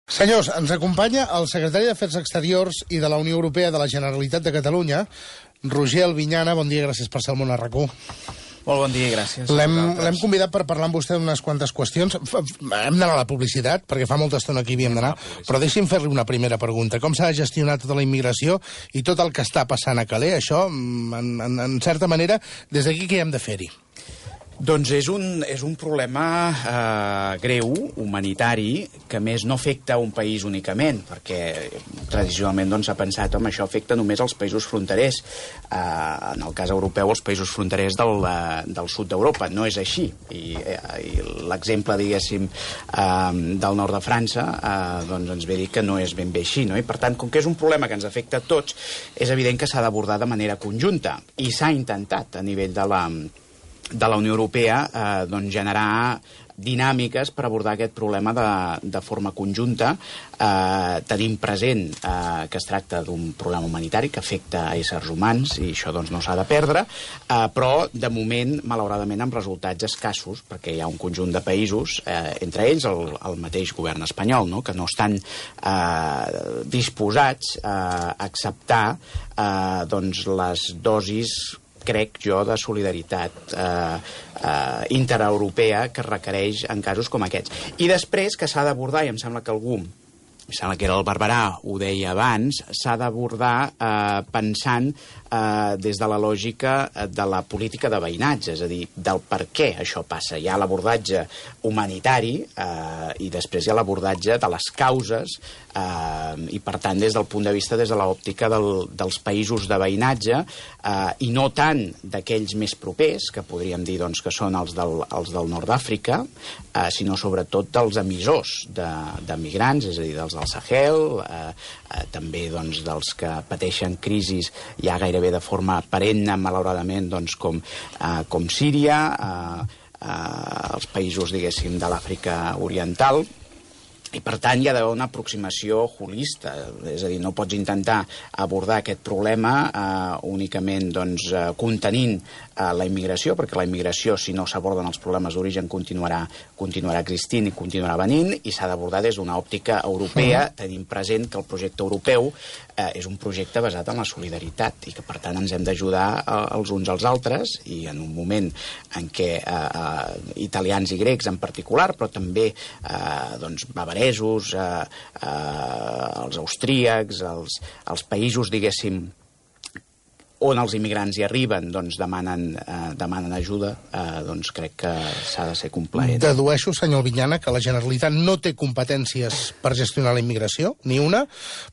Senyors, ens acompanya el secretari d'Afers Exteriors i de la Unió Europea de la Generalitat de Catalunya, Roger Albinyana. Bon dia, gràcies per ser al Món a RAC1. Molt bon dia i gràcies. L'hem convidat per parlar amb vostè d'unes quantes qüestions. Hem d'anar a la publicitat, perquè fa molta estona que hi havíem d'anar, però deixi'm fer-li una primera pregunta. Com s'ha de gestionar tota la immigració i tot el que està passant a Calais? Això, en certa manera, des d'aquí què hem de fer-hi? Doncs és un problema greu, humanitari, que a més no afecta un país únicament, perquè tradicionalment s'ha pensat que això afecta només els països fronterers. En el cas europeu, els països fronterers del sud d'Europa. No és així. I l'exemple, diguéssim, del nord de França ens ve a dir que no és ben bé així. I per tant, com que és un problema que ens afecta a tots, és evident que s'ha d'abordar de manera conjunta. I s'ha intentat a nivell de la Unió Europea generar dinàmiques per abordar aquest problema de forma conjunta. Tenim present que es tracta d'un problema humanitari que afecta a éssers humans i això no s'ha de perdre, però de moment, malauradament, amb resultats escassos, perquè hi ha un conjunt de països, entre ells el mateix govern espanyol, que no estan disposats a acceptar les dosis, crec jo, de solidaritat intereuropea que es requereix en casos com aquests. I després que s'ha d'abordar, i em sembla que algú, em sembla que era el Barberà, ho deia abans, s'ha d'abordar pensant des de la lògica de la política de veïnatge, és a dir, del per què això passa. Hi ha l'abordatge humanitari i després hi ha l'abordatge de les causes i, per tant, des del punt de vista, des de l'òptica dels països de veïnatge i no tant d'aquells més propers, que podríem dir que són els del nord d'Àfrica, sinó sobretot dels emissors de migrants, és a dir, dels del Sahel, també dels que pateixen crisis ja gairebé de forma perenne, malauradament, com Síria, els països, diguéssim, de l'Àfrica Oriental. I, per tant, hi ha d'haver una aproximació holista, és a dir, no pots intentar abordar aquest problema únicament contenint la immigració, perquè la immigració, si no s'aborden els problemes d'origen, continuarà existint i continuarà venint, i s'ha d'abordar des d'una òptica europea, tenint present que el projecte europeu és un projecte basat en la solidaritat i que, per tant, ens hem d'ajudar els uns als altres, i en un moment en què italians i grecs en particular, però també bavaresos, els austríacs, els països, diguéssim, on els immigrants hi arriben, demanen ajuda, crec que s'ha de ser complaent. Dedueixo, senyor Albinyana, que la Generalitat no té competències per gestionar la immigració, ni una,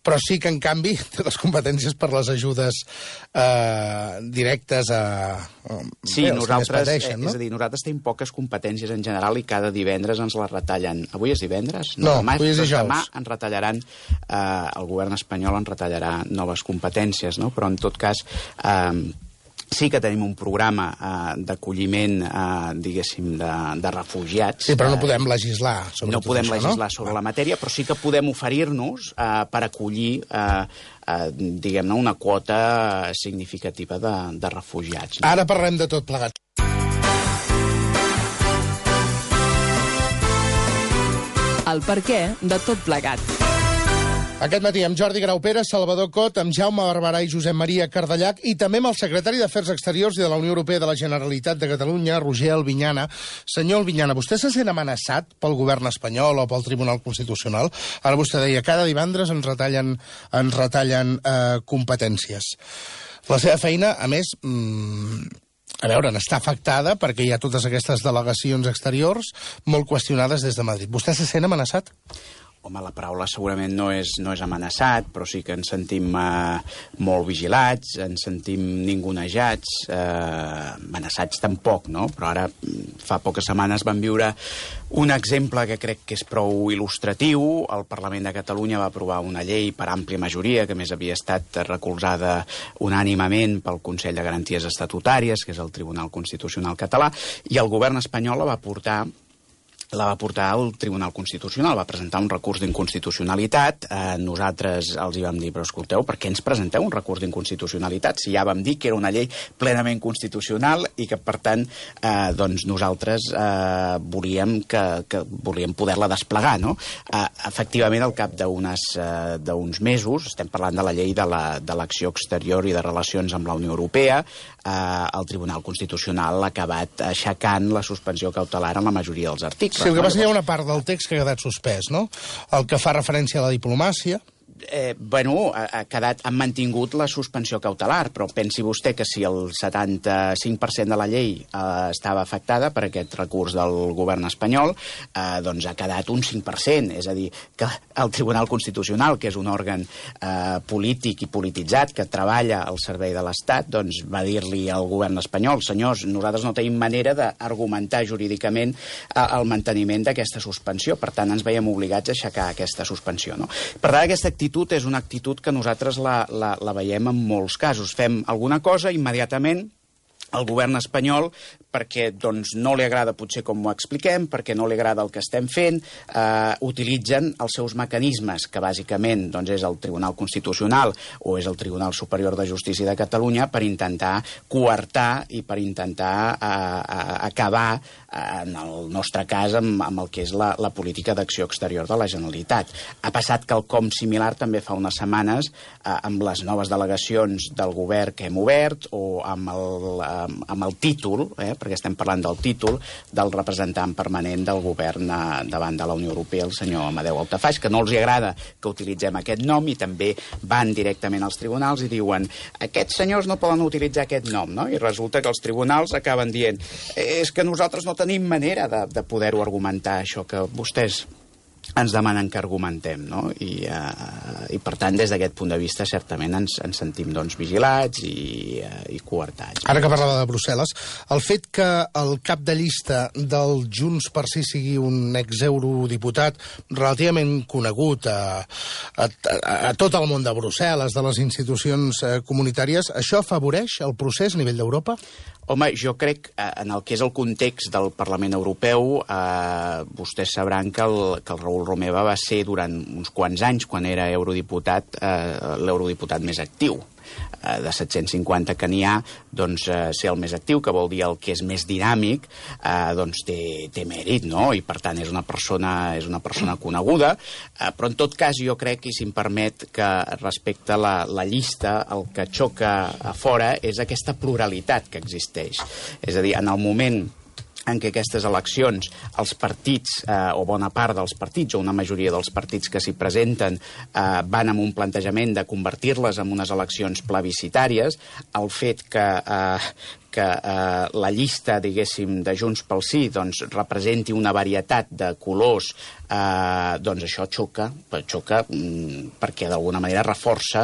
però sí que, en canvi, té les competències per les ajudes directes Sí, nosaltres, és a dir, nosaltres tenim poques competències en general i cada divendres ens les retallen. Avui és divendres? No, avui és dijous. Demà ens retallaran, el govern espanyol ens retallarà noves competències, però en tot cas sí que tenim un programa d'acolliment, diguéssim, de refugiats. Sí, però no podem legislar sobre no podem legislar sobre la matèria, però sí que podem oferir-nos per acollir, diguem-ne, una quota significativa de refugiats. Ara parlem de tot plegat. El perquè de tot plegat. Aquest matí amb Jordi Graupera, Salvador Cot, amb Jaume Barberà i Josep Maria Cardellac i també amb el secretari d'Afers Exteriors i de la Unió Europea de la Generalitat de Catalunya, Roger Albinyana. Senyor Albinyana, vostè se sent amenaçat pel govern espanyol o pel Tribunal Constitucional? Ara vostè deia, cada divendres ens retallen competències. La seva feina, a més, a veure, n'està afectada perquè hi ha totes aquestes delegacions exteriors molt qüestionades des de Madrid. Vostè se sent amenaçat? Home, la paraula segurament no és amenaçat, però sí que ens sentim molt vigilats, ens sentim ningunejats, amenaçats tampoc, no? Però ara, fa poques setmanes vam viure un exemple que crec que és prou il·lustratiu. El Parlament de Catalunya va aprovar una llei per àmplia majoria, que més havia estat recolzada unànimement pel Consell de Garanties Estatutàries, que és el Tribunal Constitucional català, i el govern espanyol la va portar la va portar al Tribunal Constitucional, va presentar un recurs d'inconstitucionalitat. Nosaltres els hi vam dir, però escolteu, per què ens presenteu un recurs d'inconstitucionalitat si ja vam dir que era una llei plenament constitucional i que, per tant, doncs nosaltres volíem poder-la desplegar, no? Efectivament, al cap d'uns mesos, estem parlant de la llei de l'acció exterior i de relacions amb la Unió Europea, el Tribunal Constitucional ha acabat aixecant la suspensió cautelar en la majoria dels articles. Sí, el que passa que hi ha una part del text que ha quedat suspès, no? El que fa referència a la diplomàcia. Han mantingut la suspensió cautelar, però pensi vostè que si el 75% de la llei estava afectada per aquest recurs del govern espanyol, doncs ha quedat un 5%. És a dir, que el Tribunal Constitucional, que és un òrgan polític i polititzat que treballa al servei de l'Estat, doncs va dir-li al govern espanyol: senyors, nosaltres no tenim manera d'argumentar jurídicament el manteniment d'aquesta suspensió, per tant ens veiem obligats a aixecar aquesta suspensió, no? Per tant, aquesta actitud és una actitud que nosaltres la veiem en molts casos. Fem alguna cosa, immediatament el govern espanyol, perquè doncs, no li agrada potser com ho expliquem, perquè no li agrada el que estem fent, utilitzen els seus mecanismes, que bàsicament doncs, és el Tribunal Constitucional o és el Tribunal Superior de Justícia de Catalunya, per intentar coartar i per intentar acabar, en el nostre cas, amb el que és la política d'acció exterior de la Generalitat. Ha passat quelcom similar també fa unes setmanes amb les noves delegacions del govern que hem obert o amb el títol, perquè estem parlant del títol del representant permanent del govern davant de la Unió Europea, el senyor Amadeu Altafaix, que no els agrada que utilitzem aquest nom i també van directament als tribunals i diuen: aquests senyors no poden utilitzar aquest nom, no? I resulta que els tribunals acaben dient: és que nosaltres no tenim manera de poder-ho argumentar, això que vostès ens demanen que argumentem, no? I per tant, des d'aquest punt de vista, certament ens sentim doncs, vigilats i coartats. Ara que parlava de Brussel·les, el fet que el cap de llista del Junts per Sí sigui un exeurodiputat relativament conegut a tot el món de Brussel·les, de les institucions comunitàries, això afavoreix el procés a nivell d'Europa? Home, jo crec, en el que és el context del Parlament Europeu, vostès sabran que el Raül Romeva va ser durant uns quants anys, quan era eurodiputat, l'eurodiputat més actiu. De 750 que n'hi ha, doncs ser el més actiu, que vol dir el que és més dinàmic, doncs té mèrit, no? I per tant és una persona coneguda, però en tot cas jo crec, i si em permet, que respecte a la llista el que xoca a fora és aquesta pluralitat que existeix. És a dir, en el moment en què aquestes eleccions, els partits, o bona part dels partits, o una majoria dels partits que s'hi presenten, van amb un plantejament de convertir-les en unes eleccions plebiscitàries, el fet que la llista, diguéssim, de Junts pel Sí doncs, representi una varietat de colors, doncs això xoca perquè d'alguna manera reforça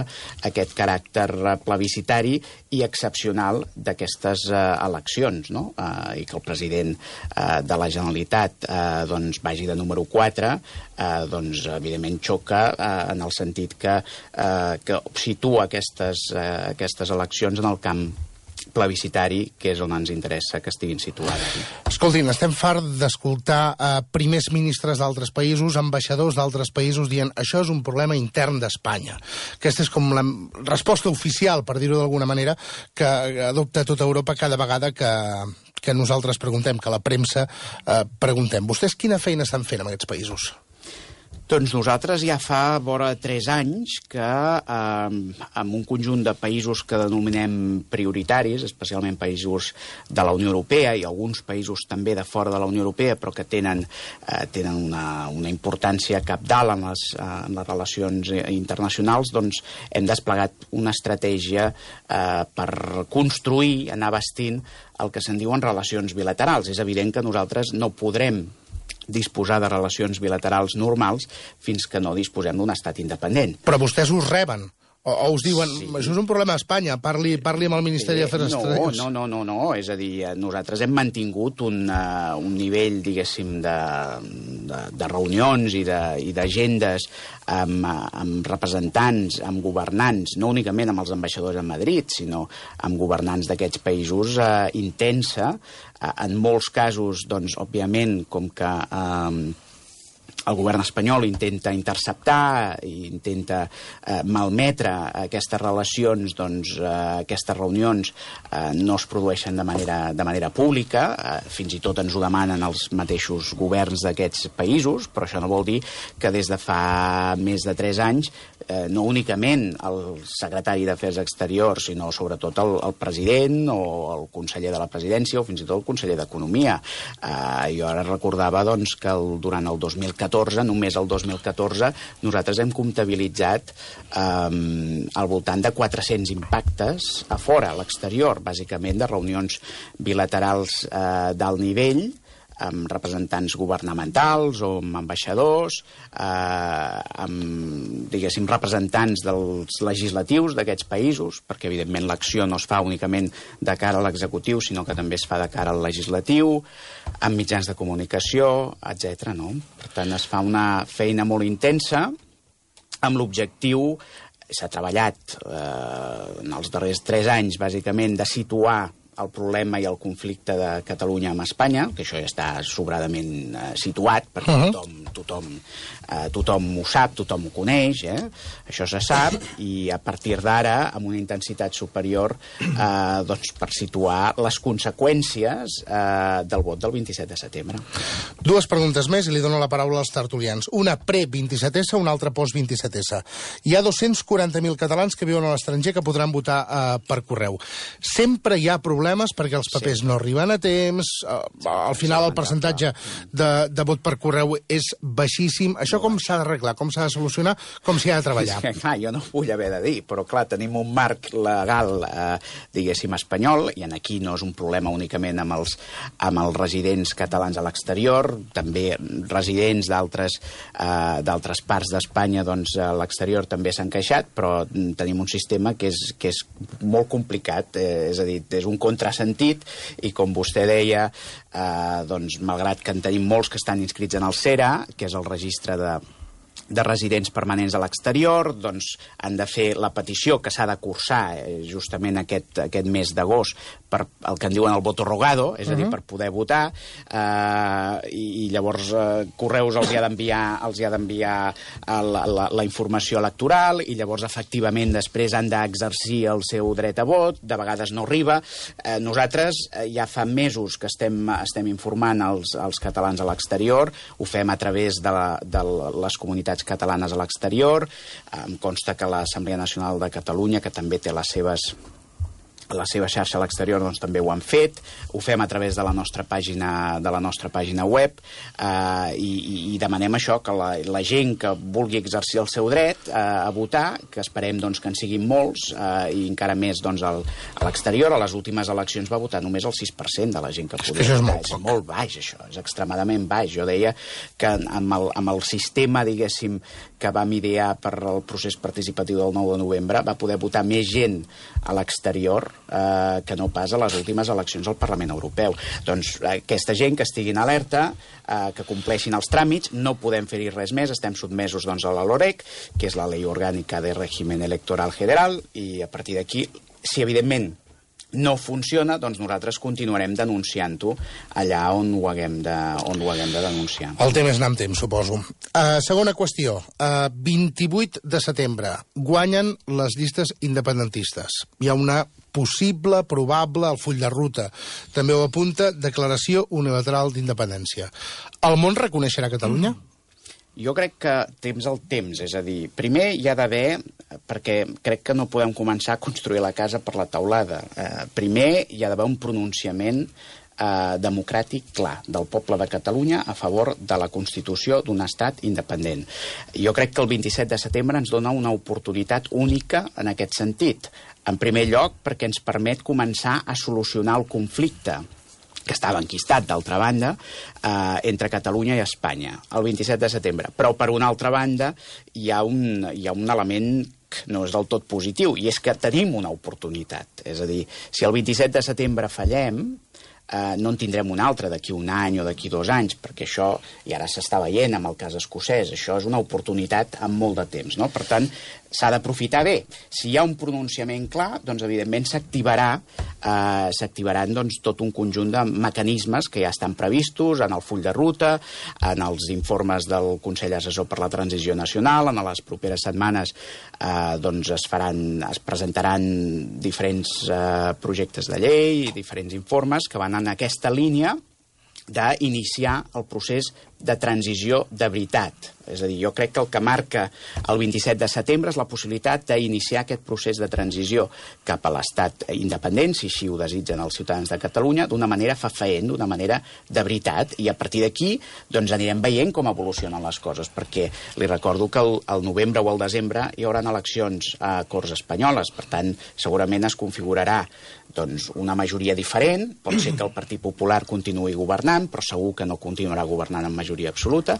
aquest caràcter plebiscitari i excepcional d'aquestes eleccions, no? I que el president de la Generalitat doncs, vagi de número 4, doncs evidentment xoca en el sentit que situa aquestes eleccions en el camp plebiscitari, que és on ens interessa que estiguin situades. Escoltin, estem farts d'escoltar primers ministres d'altres països, ambaixadors d'altres països dient això és un problema intern d'Espanya. Aquesta és com la resposta oficial, per dir-ho d'alguna manera, que adopta tota Europa cada vegada que nosaltres preguntem, que la premsa preguntem. Vostès quina feina estan fent en aquests països? Doncs nosaltres ja fa vora 3 anys que amb un conjunt de països que denominem prioritaris, especialment països de la Unió Europea i alguns països també de fora de la Unió Europea, però que tenen una importància cabdal en les relacions internacionals, doncs hem desplegat una estratègia per construir, anar bastint el que se'n diuen relacions bilaterals. És evident que nosaltres no podrem disposar de relacions bilaterals normals fins que no disposem d'un estat independent. Però vostès us reben O us diuen, això és un problema a Espanya, parli amb el Ministeri d'Afers Exteriors? No, és a dir, nosaltres hem mantingut un nivell, diguéssim, de reunions i d'agendes amb representants, amb governants, no únicament amb els ambaixadors a Madrid, sinó amb governants d'aquests països intensa. En molts casos, doncs, òbviament, com que el govern espanyol intenta interceptar i intenta malmetre aquestes relacions, doncs aquestes reunions no es produeixen de manera pública, fins i tot ens ho demanen els mateixos governs d'aquests països, però això no vol dir que des de fa més de 3 anys no únicament el secretari d'Afers Exteriors, sinó sobretot el president o el conseller de la presidència o fins i tot el conseller d'Economia. Jo ara recordava doncs, que durant el 2014, només el 2014, nosaltres hem comptabilitzat al voltant de 400 impactes a fora, a l'exterior, bàsicament de reunions bilaterals d'alt nivell, amb representants governamentals o amb ambaixadors, amb, diguéssim, representants dels legislatius d'aquests països, perquè, evidentment, l'acció no es fa únicament de cara a l'executiu, sinó que també es fa de cara al legislatiu, amb mitjans de comunicació, etc. No? Per tant, es fa una feina molt intensa amb l'objectiu, s'ha treballat en els darrers 3 anys, bàsicament, de situar el problema i el conflicte de Catalunya amb Espanya, que això ja està sobradament situat, perquè tothom ho sap, tothom ho coneix, això se sap, i a partir d'ara, amb una intensitat superior, doncs, per situar les conseqüències del vot del 27 de setembre. 2 preguntes més i li dono la paraula als tertulians. Una pre-27S, una altra post-27S. Hi ha 240.000 catalans que viuen a l'estranger que podran votar per correu. Sempre hi ha problemes perquè els papers no arriben a temps, al final el percentatge de vot per correu és baixíssim. Això com s'ha d'arreglar, com s'ha de solucionar, com s'hi ha de treballar? És que, clar, jo no ho vull haver de dir, però clar, tenim un marc legal, diguéssim, espanyol, i aquí no és un problema únicament amb els residents catalans a l'exterior, també residents d'altres parts d'Espanya, doncs a l'exterior també s'han queixat, però tenim un sistema que és molt complicat, és a dir, és un contrasentit, i com vostè deia, doncs, malgrat que en tenim molts que estan inscrits en el CERA, que és el registre de residents permanents a l'exterior, doncs han de fer la petició que s'ha de cursar justament aquest mes d'agost per el que en diuen el voto rogado, és a dir, per poder votar, i llavors Correus els hi ha d'enviar la informació electoral, i llavors efectivament després han d'exercir el seu dret a vot, de vegades no arriba. Nosaltres ja fa mesos que estem informant els catalans a l'exterior, ho fem a través de les comunitats catalanes a l'exterior. Em consta que l'Assemblea Nacional de Catalunya, que també té la seva xarxa a l'exterior, doncs també ho han fet. Ho fem a través de la nostra pàgina web, i demanem això, que la gent que vulgui exercir el seu dret a votar, que esperem doncs, que en siguin molts, i encara més doncs, a l'exterior. A les últimes eleccions va votar només el 6% de la gent que podia votar. És molt baix, això, és extremadament baix. Jo deia que amb el sistema, diguéssim, que vam idear per al procés participatiu del 9 de novembre, va poder votar més gent a l'exterior que no pas a les últimes eleccions al Parlament Europeu. Doncs aquesta gent que estiguin alerta, que compleixin els tràmits, no podem fer-hi res més, estem sotmesos doncs, a la LOREC, que és la Ley Orgánica de Régimen Electoral General, i a partir d'aquí, si evidentment no funciona, doncs nosaltres continuarem denunciant-ho allà on ho haguem de denunciar. El tema és anar amb temps, suposo. Segona qüestió. 28 de setembre guanyen les llistes independentistes. Hi ha una possible, probable, el full de ruta. També ho apunta, declaració unilateral d'independència. El món reconeixerà Catalunya? Jo crec que temps al temps, és a dir, primer hi ha d'haver, perquè crec que no podem començar a construir la casa per la teulada, primer hi ha d'haver un pronunciament democràtic clar del poble de Catalunya a favor de la constitució d'un estat independent. Jo crec que el 27 de setembre ens dona una oportunitat única en aquest sentit. En primer lloc, perquè ens permet començar a solucionar el conflicte que estava enquistat, d'altra banda, entre Catalunya i Espanya, el 27 de setembre. Però, per una altra banda, hi ha un element dark, no és del tot positiu, i és que tenim una oportunitat. És a dir, si el 27 de setembre fallem, no en tindrem un altre d'aquí un any o d'aquí 2 anys, perquè això, i ara s'està veient amb el cas escocès, això és una oportunitat amb molt de temps, no? Per tant, s'ha d'aprofitar bé. Si hi ha un pronunciament clar, doncs, evidentment, s'activaran doncs, tot un conjunt de mecanismes que ja estan previstos en el full de ruta, en els informes del Consell Assessor per la Transició Nacional. En les properes setmanes doncs, es presentaran diferents projectes de llei i diferents informes que van en aquesta línia d'iniciar el procés de transició de veritat. És a dir, jo crec que el que marca el 27 de setembre és la possibilitat d'iniciar aquest procés de transició cap a l'estat independent, si així ho desitgen els ciutadans de Catalunya, d'una manera fefaent, d'una manera de veritat, i a partir d'aquí doncs, anirem veient com evolucionen les coses, perquè li recordo que al novembre o al desembre hi haurà eleccions a Corts Espanyoles, per tant, segurament es configurarà doncs, una majoria diferent, pot ser que el Partit Popular continuï governant, però segur que no continuarà governant amb majoria absoluta,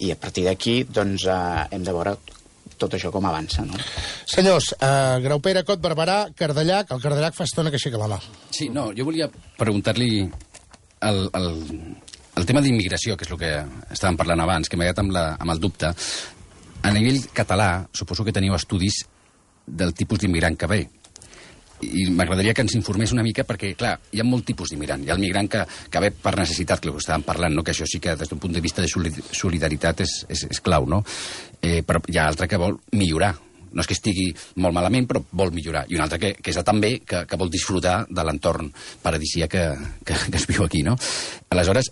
i a partir d'aquí doncs, hem de veure tot això com avança, no? Senyors, Graupera, Cot, Barberà, Cardellac. El Cardellac fa estona que aixeca la mà. Sí, no, jo volia preguntar-li el tema d'immigració, que és el que estàvem parlant abans, que m'ha quedat amb el dubte. A nivell català, suposo que teniu estudis del tipus d'immigrant que ve. I m'agradaria que ens informés una mica perquè, clar, hi ha molt tipus d'immigrant. Hi ha el migrant que ve per necessitat, que ho estàvem parlant, no? Que això sí que des d'un punt de vista de solidaritat és clau, no? Però hi ha altre que vol millorar. No és que estigui molt malament, però vol millorar. I un altre que és també que vol disfrutar de l'entorn paradisíac que es viu aquí, no? Aleshores,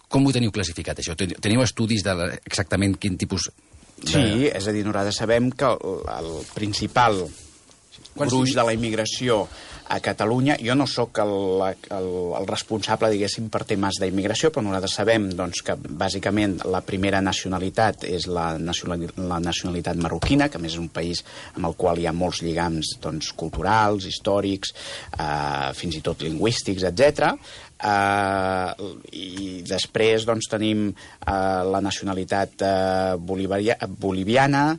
com ho teniu classificat, això? Teniu estudis exactament quin tipus de... Sí, és a dir, nosaltres sabem que el principal gruix de la immigració a Catalunya, jo no sóc el responsable, diguéssim, per temes d'immigració, però nosaltres sabem doncs, que bàsicament la primera nacionalitat és la nacionalitat marroquina, que a més és un país amb el qual hi ha molts lligams doncs, culturals, històrics, fins i tot lingüístics, etc. I després doncs, tenim la nacionalitat boliviana,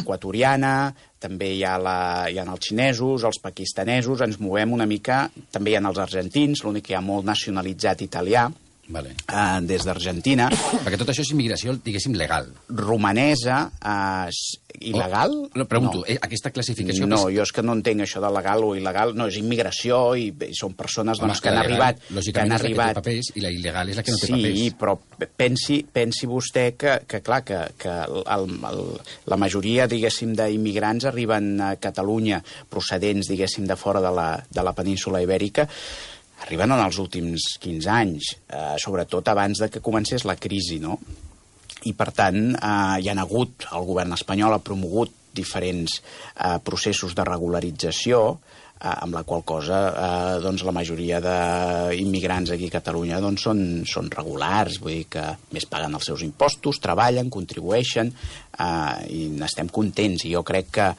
equatoriana, també hi ha els xinesos, els pakistanesos, ens movem una mica, també hi ha els argentins, l'únic que hi ha molt nacionalitzat italià, vale. Des d'Argentina. Perquè tot això és immigració, diguéssim, legal. Romanesa, il·legal? Pregunto, no. Aquesta classificació... No, jo és que no entenc això de legal o il·legal. No, és immigració i són persones doncs, que han arribat... Lògicament és la que té papers i la il·legal és la que no té papers. Sí, però pensi vostè que clar, que la majoria, diguéssim, d'immigrants arriben a Catalunya procedents, diguéssim, de fora de la península Ibèrica, arriben en els últims 15 anys, sobretot abans de que comencés la crisi, no? I, per tant, hi ha hagut, el govern espanyol ha promogut diferents processos de regularització, amb la qual cosa doncs, la majoria d'immigrants aquí a Catalunya doncs, són regulars, vull dir que més paguen els seus impostos, treballen, contribueixen i n'estem contents. I jo crec que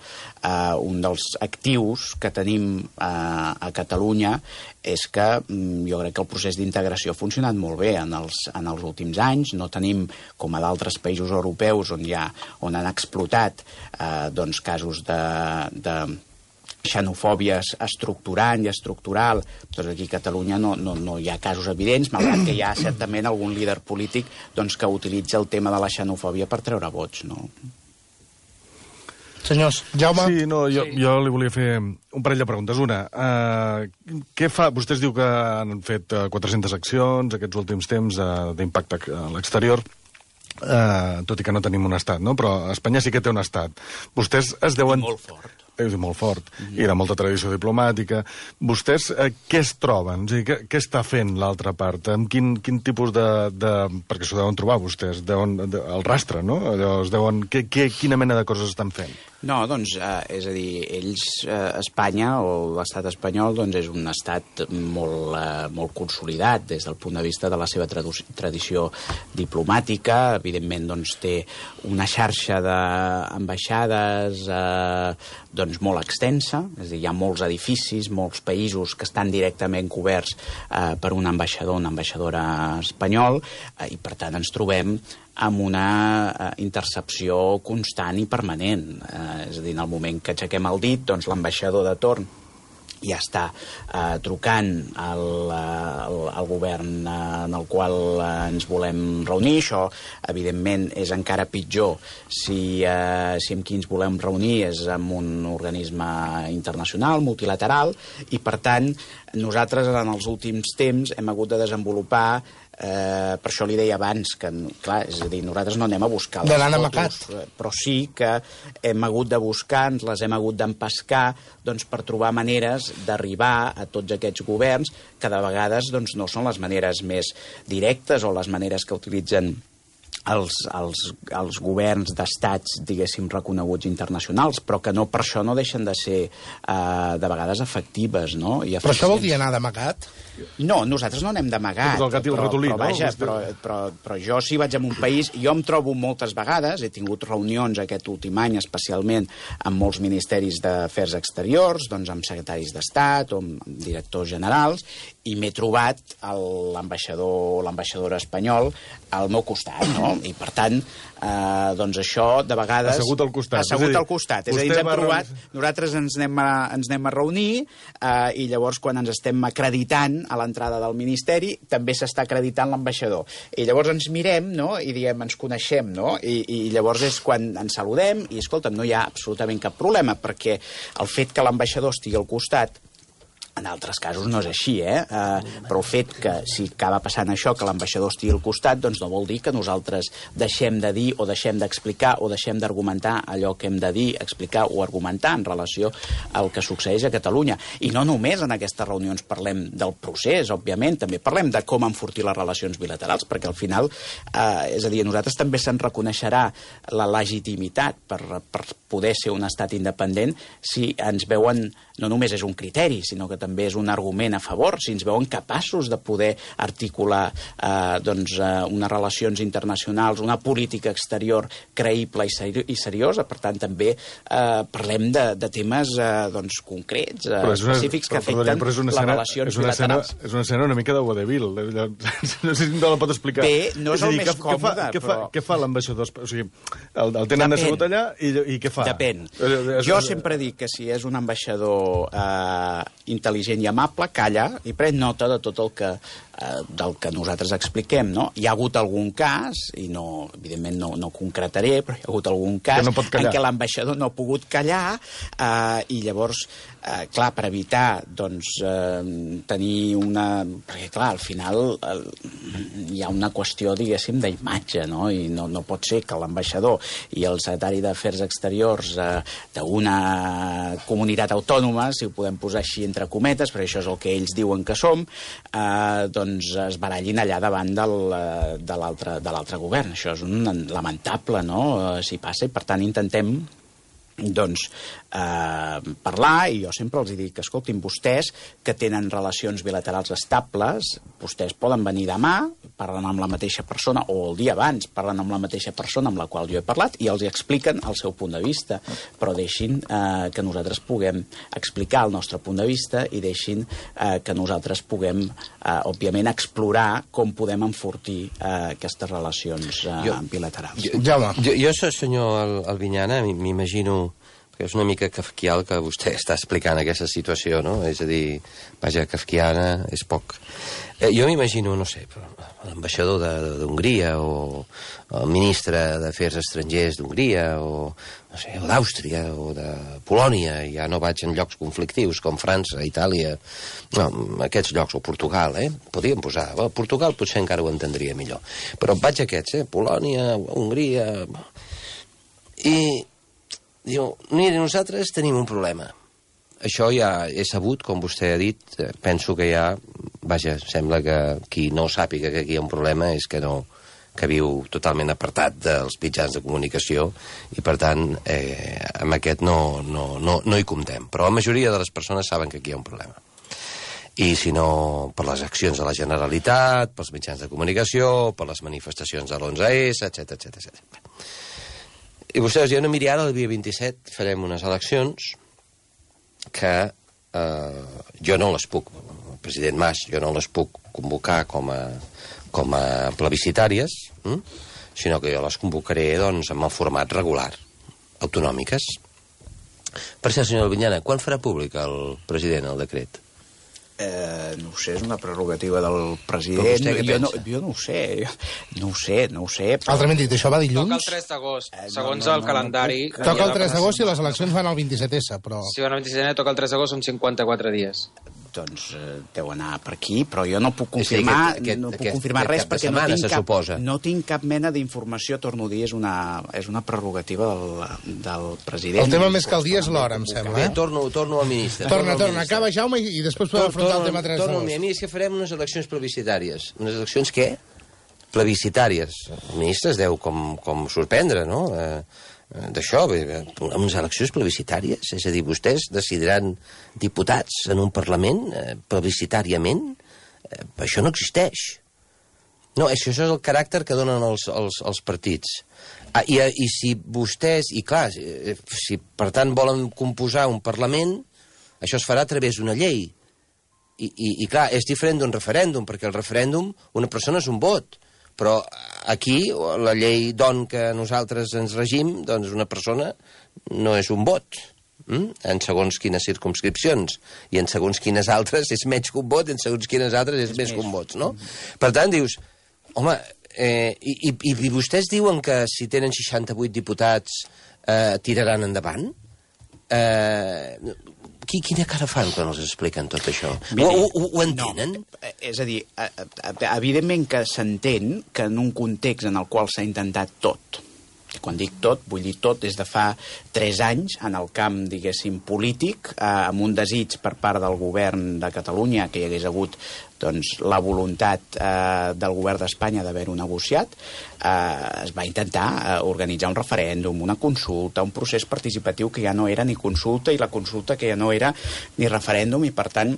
un dels actius que tenim a Catalunya és que jo crec que el procés d'integració ha funcionat molt bé en els últims anys. No tenim, com a d'altres països europeus on han explotat doncs, casos de xenofòbia estructurant i estructural, doncs aquí a Catalunya no hi ha casos evidents, malgrat que hi ha certament algun líder polític doncs, que utilitza el tema de la xenofòbia per treure vots, no? Senyors, Jaume... Sí, no, jo li volia fer un parell de preguntes. Una, què fa... Vostès diu que han fet 400 accions aquests últims temps d'impacte a l'exterior, tot i que no tenim un estat, no? Però Espanya sí que té un estat. Vostès es deuen... I molt fort. És molt fort, i de molta tradició diplomàtica. Vostès què es troben? És a dir, què està fent l'altra part? Amb quin tipus de... Perquè s'ho deuen trobar vostès, el rastre, no? Quina mena de coses estan fent? No, doncs, és a dir, Espanya, o l'estat espanyol, doncs és un estat molt consolidat des del punt de vista de la seva tradició diplomàtica. Evidentment, doncs, té una xarxa d'ambaixades, doncs, molt extensa, és a dir, hi ha molts edificis, molts països que estan directament coberts per un ambaixador, una ambaixadora espanyol, i per tant ens trobem amb una intercepció constant i permanent. És a dir, en el moment que aixequem el dit, doncs l'ambaixador de torn ja està trucant al govern en el qual ens volem reunir. Això, evidentment, és encara pitjor si amb qui ens volem reunir és amb un organisme internacional, multilateral, i, per tant, nosaltres en els últims temps hem hagut de desenvolupar per això li deia abans que, clar, és a dir, nosaltres no anem a buscar les fotos, però sí que hem hagut de buscar, ens les hem hagut d'empescar, doncs, per trobar maneres d'arribar a tots aquests governs que de vegades doncs, no són les maneres més directes o les maneres que utilitzen els governs d'estats, diguéssim, reconeguts internacionals, però que no per això no deixen de ser de vegades efectives, no? Però això vol dir anar d'amagat? No, nosaltres no anem d'amagat, però jo si vaig a un país, jo em trobo moltes vegades, he tingut reunions aquest últim any especialment amb molts ministeris d'afers exteriors, doncs amb secretaris d'Estat o amb directors generals, i m'he trobat l'ambaixador o l'ambaixadora espanyol al meu costat, no? I per tant, doncs això de vegades... Assegut al costat. Assegut al costat. És a dir, ens hem trobat, nosaltres ens anem a reunir i llavors quan ens estem acreditant a l'entrada del Ministeri també s'està acreditant l'ambaixador. I llavors ens mirem, no?, i diem, ens coneixem, no?, i llavors és quan ens saludem i, escolta'm, no hi ha absolutament cap problema, perquè el fet que l'ambaixador estigui al costat, en altres casos no és així, però el fet que si acaba passant això, que l'ambaixador estigui al costat, doncs no vol dir que nosaltres deixem de dir o deixem d'explicar o deixem d'argumentar allò que hem de dir, explicar o argumentar en relació al que succeeix a Catalunya. I no només en aquestes reunions parlem del procés, òbviament, també parlem de com enfortir les relacions bilaterals, perquè al final, és a dir, a nosaltres també se'n reconeixerà la legitimitat per poder ser un estat independent si ens veuen, no només és un criteri, sinó que també és un argument a favor, si ens veuen capaços de poder articular unes relacions internacionals, una política exterior creïble i seriosa. Per tant, també parlem de temes concrets, específics, que afecten les relacions bilaterals. És una escena una mica de vodevil. No sé si no la pot explicar. Bé, no és el més còmode, però... Què fa l'ambaixador? O sigui, el tenen assegut allà i què fa? Depèn. Jo sempre dic que si és un ambaixador intel·ligent i amable, calla i pren nota de tot del que nosaltres expliquem, no? Hi ha hagut algun cas, i no, evidentment no concretaré, però hi ha hagut algun cas en què l'ambaixador no ha pogut callar i llavors, clar, per evitar tenir una... Perquè, clar, al final hi ha una qüestió, diguéssim, d'imatge, no? I no pot ser que l'ambaixador i el secretari d'Afers Exteriors d'una comunitat autònoma, si ho podem posar així entre cometes, perquè això és el que ells diuen que som, doncs es barallin allà davant de l'altre govern. Això és lamentable, no?, si passa, i per tant intentem parlar, i jo sempre els dic, escoltin, vostès que tenen relacions bilaterals estables, vostès poden venir demà, parlen amb la mateixa persona, o el dia abans parlen amb la mateixa persona amb la qual jo he parlat, i els expliquen el seu punt de vista, però deixin que nosaltres puguem explicar el nostre punt de vista i deixin que nosaltres puguem, òbviament, explorar com podem enfortir aquestes relacions bilaterals. Jo, senyor Albinyana, m'imagino que és una mica kafkià que vostè està explicant aquesta situació, no? És a dir, vaja, kafkiana és poc. Jo m'imagino, no sé, l'ambaixador d'Hongria o el ministre d'Afers Estrangers d'Hongria o d'Àustria o de Polònia, ja no vaig en llocs conflictius com França, Itàlia, no, aquests llocs, o Portugal, podríem posar, Portugal potser encara ho entendria millor, però vaig a aquests, Polònia, Hongria, i diu, mira, nosaltres tenim un problema. Això ja és sabut, com vostè ha dit, penso que ja, vaja, sembla que qui no sàpiga que aquí hi ha un problema és que no, que viu totalment apartat dels mitjans de comunicació i, per tant, amb aquest no hi comptem. Però la majoria de les persones saben que aquí hi ha un problema. I si no, per les accions de la Generalitat, pels mitjans de comunicació, per les manifestacions de l'11S, etc. I vostès diuen, no, miri, ara el dia 27 farem unes eleccions que jo no les puc, el president Mas, jo no les puc convocar com a plebiscitàries, sinó que jo les convocaré, doncs, amb el format regular, autonòmiques. Per cert, senyor Albinyana, quan farà públic el president el decret? No ho sé, és una prerrogativa del president. Però vostè què pensa? Jo no ho sé. Però... Altrament dit, això va dilluns? Toca el 3 d'agost, segons el calendari. Toca el 3 d'agost i les eleccions van al 27S, però... Si van al 27S, toca el 3 d'agost, són 54 dies. Doncs deu anar per aquí, però jo no puc confirmar, res perquè no tinc cap mena d'informació, torno a dir, és una prerrogativa del president. El tema més que el dia és l'hora, em sembla. Bé, torno al ministre. Torna, acaba Jaume i després podem afrontar el tema 3 d'agost. A mi és que farem unes eleccions plebiscitàries. Unes eleccions què? Plebiscitàries. El ministre es deu com sorprendre, no?, d'això, amb unes eleccions plebiscitàries, és a dir, vostès decidiran diputats en un Parlament plebiscitàriament, això no existeix. No, això és el caràcter que donen els partits. I si vostès, i clar, si per tant volen composar un Parlament, això es farà a través d'una llei. I clar, és diferent d'un referèndum, perquè el referèndum, una persona és un vot, però aquí, la llei d'on que nosaltres ens regim, doncs una persona no és un vot, en segons quines circumscripcions, i en segons quines altres és menys que un vot, i en segons quines altres és més que un vot, no? Per tant, dius, home, i vostès diuen que si tenen 68 diputats tiraran endavant? Quina cara fan quan els expliquen tot això? Ho entenen? No, és a dir, evidentment que s'entén que en un context en el qual s'ha intentat tot, quan dic tot, vull dir tot des de fa 3 anys, en el camp, diguéssim, polític, amb un desig per part del govern de Catalunya que hi hagués hagut doncs, la voluntat del govern d'Espanya d'haver-ho negociat, es va intentar organitzar un referèndum, una consulta, un procés participatiu que ja no era ni consulta, i la consulta que ja no era ni referèndum, i per tant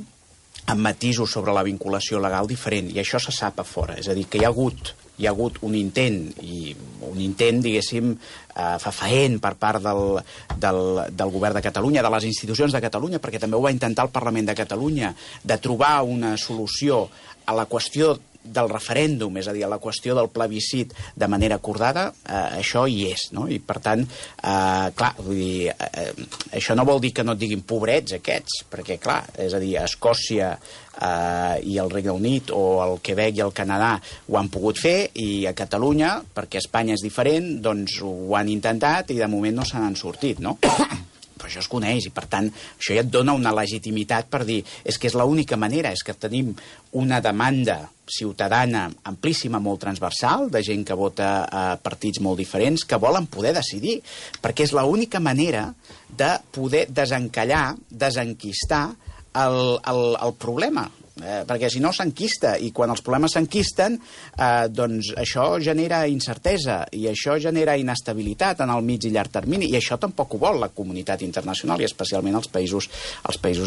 amb matisos sobre la vinculació legal diferent, i això se sap a fora, és a dir, que hi ha hagut un intent, diguéssim, fefaent per part del govern de Catalunya, de les institucions de Catalunya, perquè també ho va intentar el Parlament de Catalunya, de trobar una solució a la qüestió del referèndum, és a dir, a la qüestió del plebiscit de manera acordada, això hi és, no? I per tant, clar, vull dir, això no vol dir que no et diguin pobrets aquests, perquè clar, és a dir, Escòcia i el Regne Unit o el Quebec i el Canadà ho han pogut fer, i a Catalunya, perquè Espanya és diferent, doncs ho han intentat i de moment no se n'han sortit, no? Però això es coneix, i per tant això ja et dona una legitimitat per dir és que és l'única manera, és que tenim una demanda ciutadana amplíssima, molt transversal, de gent que vota a partits molt diferents, que volen poder decidir, perquè és l'única manera de poder desencallar, desenquistar el problema. Perquè si no s'enquista, i quan els problemes s'enquisten, doncs això genera incertesa, i això genera inestabilitat en el mig i llarg termini, i això tampoc ho vol la comunitat internacional, i especialment els països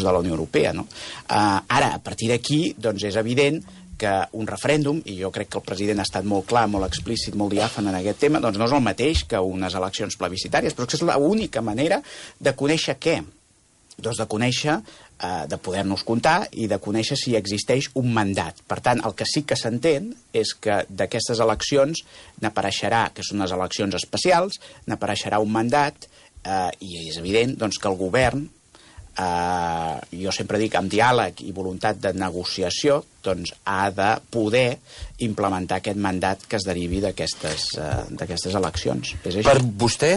de la Unió Europea, no? Ara, a partir d'aquí, doncs és evident que un referèndum, i jo crec que el president ha estat molt clar, molt explícit, molt diàfan en aquest tema, doncs no és el mateix que unes eleccions plebiscitàries, però és l'única manera de conèixer què? Doncs de conèixer, de poder-nos comptar i de conèixer si existeix un mandat. Per tant, el que sí que s'entén és que d'aquestes eleccions n'apareixerà, que són unes eleccions especials, n'apareixerà un mandat, i és evident doncs, que el govern, jo sempre dic amb diàleg i voluntat de negociació, doncs ha de poder implementar aquest mandat que es derivi d'aquestes eleccions. És així. Per vostè,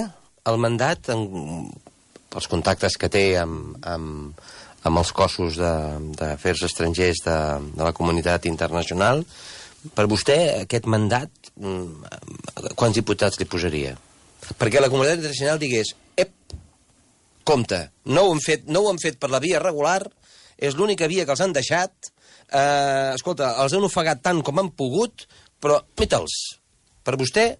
el mandat, els contactes que té amb els cossos d'afers estrangers de la comunitat internacional, per vostè aquest mandat, quants diputats li posaria? Perquè la comunitat internacional digués, compte, no ho han fet per la via regular, és l'única via que els han deixat, escolta, els han ofegat tant com han pogut, però mita'ls. Per vostè...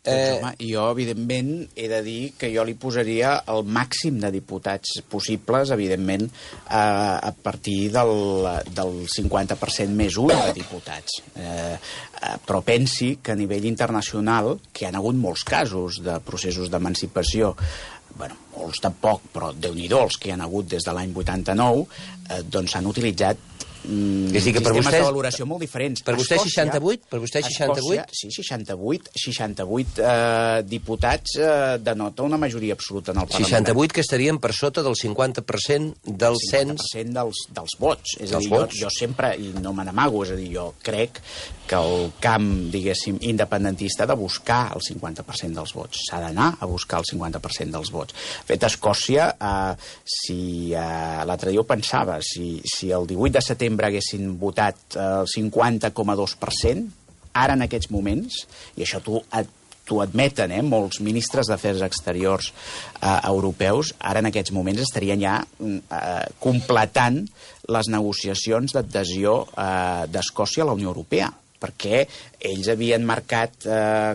Home, jo, evidentment, he de dir que jo li posaria el màxim de diputats possibles, evidentment, a partir del 50% més 1 de diputats. Però pensi que a nivell internacional, que hi ha hagut molts casos de processos d'emancipació bueno, molts tampoc, però Déu-n'hi-do, els que hi ha hagut des de l'any 89, doncs s'han utilitzat sistemes de valoració molt diferents. Per vostè 68? Per vostè 68? Sí, 68 diputats denota una majoria absoluta en el Parlament. 68 que estarien per sota del 50% del cens... 50% dels vots. És a dir, jo sempre, i no me n'amago, és a dir, jo crec que el camp, diguéssim, independentista ha de buscar el 50% dels vots. S'ha d'anar a buscar el 50% dels vots. De fet, a Escòcia, l'altre dia ho pensava, si el 18 de setembre haguessin votat el 50,2%, ara en aquests moments, i això t'ho admeten, molts ministres d'Afers Exteriors europeus, ara en aquests moments estarien ja completant les negociacions d'adhesió d'Escòcia a la Unió Europea, perquè ells havien marcat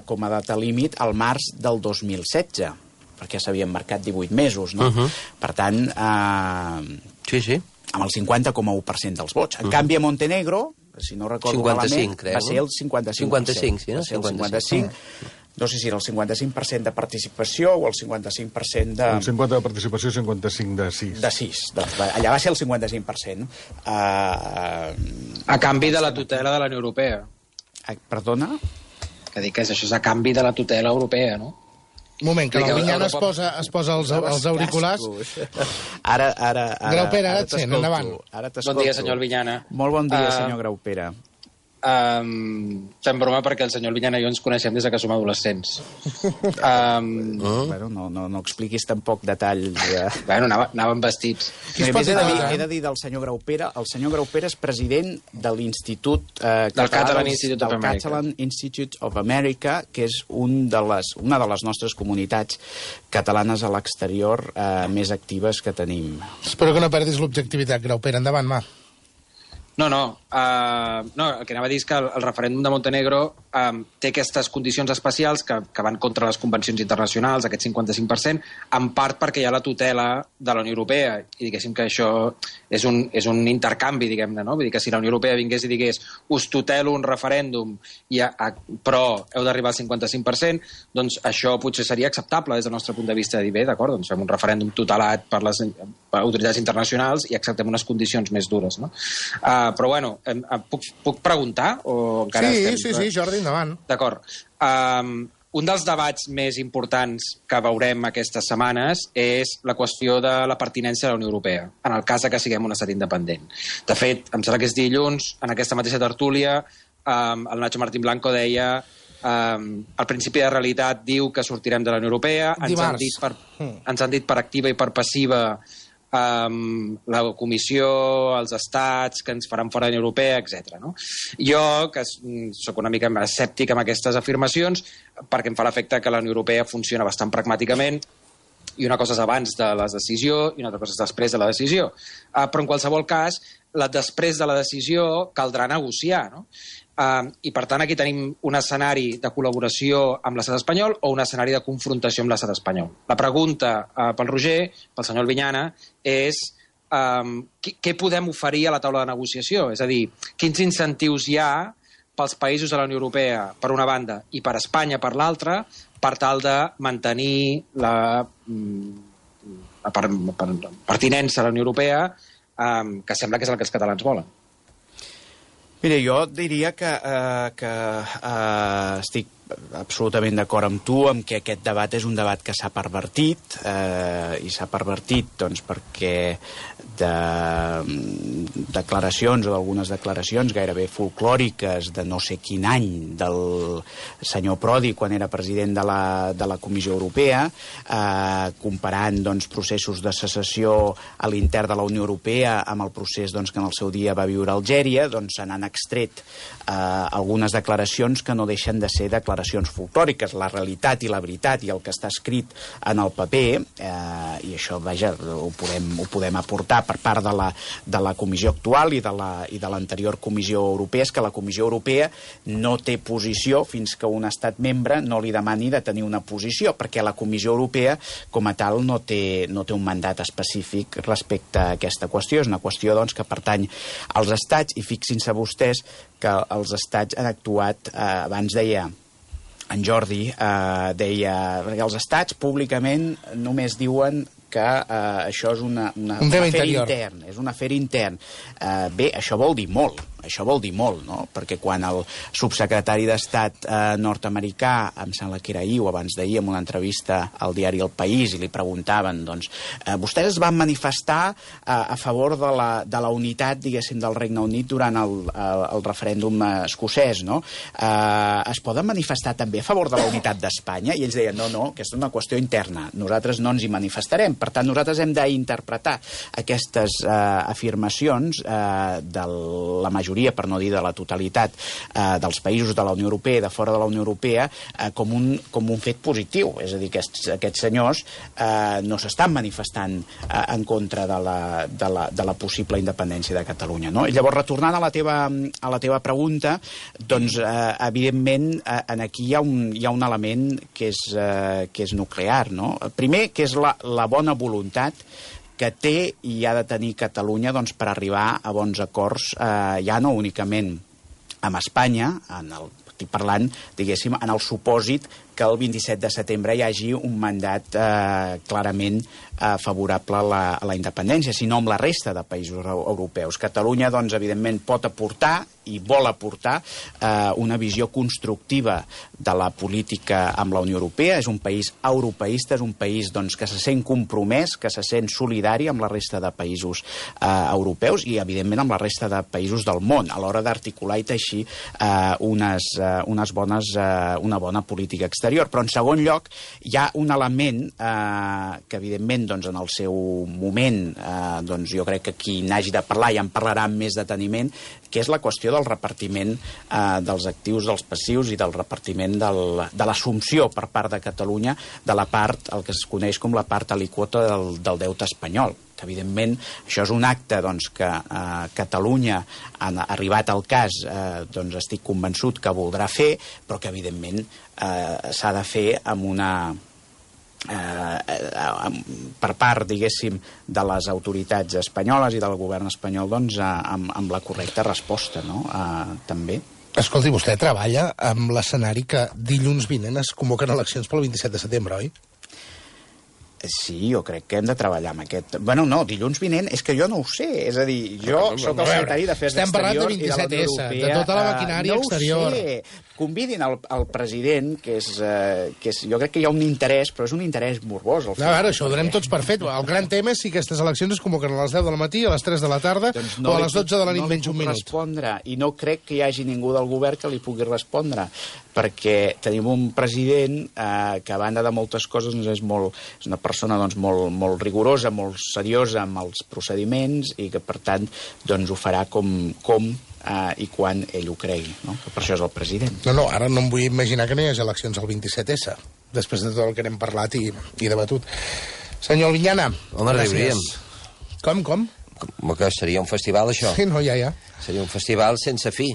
com a data límit el març del 2016, perquè s'havien marcat 18 mesos, no? Per tant... Sí. Amb el 50,1% dels vots. En canvi, a Montenegro, si no recordo malament, va ser el 55%. 55, sí, no? Va ser el 55%. No sé si era el 55% de participació o el 55% de... El 50% de participació i 55% de 6. De 6. Doncs, allà va ser el 55%. A canvi de la tutela de la Unió Europea. Perdona? Que dic que això és a canvi de la tutela europea, no? Un moment, que l'Albinyana es posa els auriculars. Ara Graupera, ara et sent, endavant. Bon dia, senyor Albinyana. Molt bon dia, senyor Graupera. Fem broma perquè el senyor Albinyana i jo ens coneixem des que som adolescents. Bueno, no expliquis tampoc detalls. Bueno, anàvem vestits. He de dir del senyor Graupera. El senyor Graupera és president de l'Institut del Catalan Institute of America, que és una de les nostres comunitats catalanes a l'exterior més actives que tenim. Espero que no perdis l'objectivitat, Graupera. Endavant, va. No, el que anava a dir és que el referèndum de Montenegro té aquestes condicions especials que van contra les convencions internacionals, aquest 55%, en part perquè hi ha la tutela de la Unió Europea, i diguéssim que això és un intercanvi, diguem-ne, no? Vull dir que si la Unió Europea vingués i digués us tutelo un referèndum, però heu d'arribar al 55%, doncs això potser seria acceptable des del nostre punt de vista, de dir, bé, d'acord, doncs fem un referèndum tutelat per les autoritats internacionals i acceptem unes condicions més dures, no? Però, bueno, puc preguntar? O encara sí, Jordi, endavant. D'acord. Un dels debats més importants que veurem aquestes setmanes és la qüestió de la pertinència a la Unió Europea, en el cas que siguem un estat independent. De fet, em sembla que és dilluns, en aquesta mateixa tertúlia, el Nacho Martín Blanco deia el principi de realitat diu que sortirem de la Unió Europea. Ens han dit per activa i per passiva la Comissió, els estats, que ens faran fora de la Unió Europea, etc. No? Jo, que sóc una mica escèptic amb aquestes afirmacions, perquè em fa l'efecte que la Unió Europea funciona bastant pragmàticament, i una cosa és abans de la decisió i una altra cosa és després de la decisió. Però en qualsevol cas, després de la decisió caldrà negociar, no? I per tant aquí tenim un escenari de col·laboració amb l'estat espanyol o un escenari de confrontació amb l'estat espanyol. La pregunta pel Roger, pel senyor Albinyana, és què podem oferir a la taula de negociació? És a dir, quins incentius hi ha pels països de la Unió Europea, per una banda, i per Espanya, per l'altra, per tal de mantenir la pertinença a la Unió Europea, que sembla que és el que els catalans volen. Mira, jo diria que estic absolutament d'acord amb tu, amb que aquest debat és un debat que s'ha pervertit, i s'ha pervertit doncs, perquè de declaracions o d'algunes declaracions gairebé folclòriques de no sé quin any del senyor Prodi quan era president de la Comissió Europea, comparant doncs, processos de secessió a l'intern de la Unió Europea amb el procés doncs, que en el seu dia va viure Algèria, doncs se n'han extret algunes declaracions que no deixen de ser declaracions folclòriques. La realitat i la veritat i el que està escrit en el paper, i això, vaja, ho podem aportar per part de la Comissió actual i de l'anterior Comissió Europea, és que la Comissió Europea no té posició fins que un estat membre no li demani de tenir una posició, perquè la Comissió Europea, com a tal, no té un mandat específic respecte a aquesta qüestió. És una qüestió, doncs, que pertany als estats, i fixin-se vostès que els estats han actuat, abans deia en Jordi deia que els estats públicament només diuen que això és un afer intern. És un afer intern. Bé, això vol dir molt, no? Perquè quan el subsecretari d'Estat nord-americà, em sembla que era ahir o abans d'ahir, en una entrevista al diari El País, i li preguntaven, doncs, vostès es van manifestar a favor de la unitat, diguéssim, del Regne Unit durant el referèndum escocès, no? Es poden manifestar també a favor de la unitat d'Espanya? I ells deien, no, aquesta és una qüestió interna, nosaltres no ens hi manifestarem. Per tant, nosaltres hem d'interpretar aquestes afirmacions de la majoria, per no dir de la totalitat, dels països de la Unió Europea i de fora de la Unió Europea com un fet positiu. És a dir, que aquests senyors no s'estan manifestant en contra de la possible independència de Catalunya, no? I llavors, retornant a la teva pregunta, doncs, evidentment, aquí hi ha un element que és nuclear, no? Primer, que és la bona voluntat que té i ha de tenir Catalunya, doncs, per arribar a bons acords, ja no únicament amb Espanya, estic parlant, diguéssim, en el supòsit que el 27 de setembre hi hagi un mandat clarament favorable a la independència, sinó amb la resta de països europeus. Catalunya, doncs, evidentment, pot aportar i vol aportar una visió constructiva de la política amb la Unió Europea. És un país europeista, és un país, doncs, que se sent compromès, que se sent solidari amb la resta de països europeus i, evidentment, amb la resta de països del món, a l'hora d'articular i teixir una bona política exterior. Però, en segon lloc, hi ha un element que, evidentment, doncs, en el seu moment, doncs, jo crec que qui n'hagi de parlar ja en parlarà amb més deteniment, que és la qüestió del repartiment dels actius, dels passius i del repartiment de l'assumpció per part de Catalunya de la part, el que es coneix com la part alíquota del deute espanyol. Que, evidentment, això és un acte, doncs, que Catalunya, arribat al cas, doncs, estic convençut que voldrà fer, però que, evidentment, s'ha de fer amb una... per part, diguéssim, de les autoritats espanyoles i del govern espanyol, doncs, amb la correcta resposta, no? També. Escolti, vostè treballa amb l'escenari que dilluns vinent es convoquen eleccions pel 27 de setembre, oi? Sí, jo crec que hem de treballar amb aquest... Bueno, no, dilluns vinent, és que jo no ho sé. És a dir, jo soc el secretari d'Afers Exteriors i de la Unió Europea. De tota la maquinària exterior. No ho sé. Convidin el president, que és... Jo crec que hi ha un interès, però és un interès morbós. A veure, això ho donem tots per fet. El gran tema és si aquestes eleccions es convoquen a les 10 del matí, a les 3 de la tarda o a les 12 de la nit menys un minut. Respondre, i no crec que hi hagi ningú del govern que li pugui respondre, perquè tenim un president que, a banda de moltes coses, és una persona, doncs, molt rigorosa, molt seriosa amb els procediments i que, per tant, doncs, ho farà com i quan ell ho cregui, no? Per això és el president. No, ara no em vull imaginar que no hi hagi eleccions el 27S, després de tot el que n'hem parlat i debatut. Senyor Albinyana, home, gràcies. Com? Que seria un festival, això? Sí, no, ja. Seria un festival sense fi.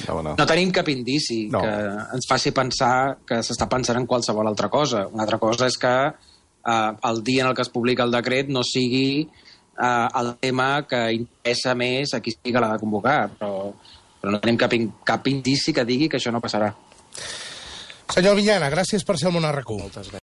No tenim cap indici que ens faci pensar que s'està pensant en qualsevol altra cosa. Una altra cosa és que el dia en el que es publica el decret no sigui el tema que interessa més a qui sigui que l'ha de convocar, però no tenim cap indici que digui que això no passarà. Senyor Albinyana, gràcies per ser al Món RQ. Moltes gràcies.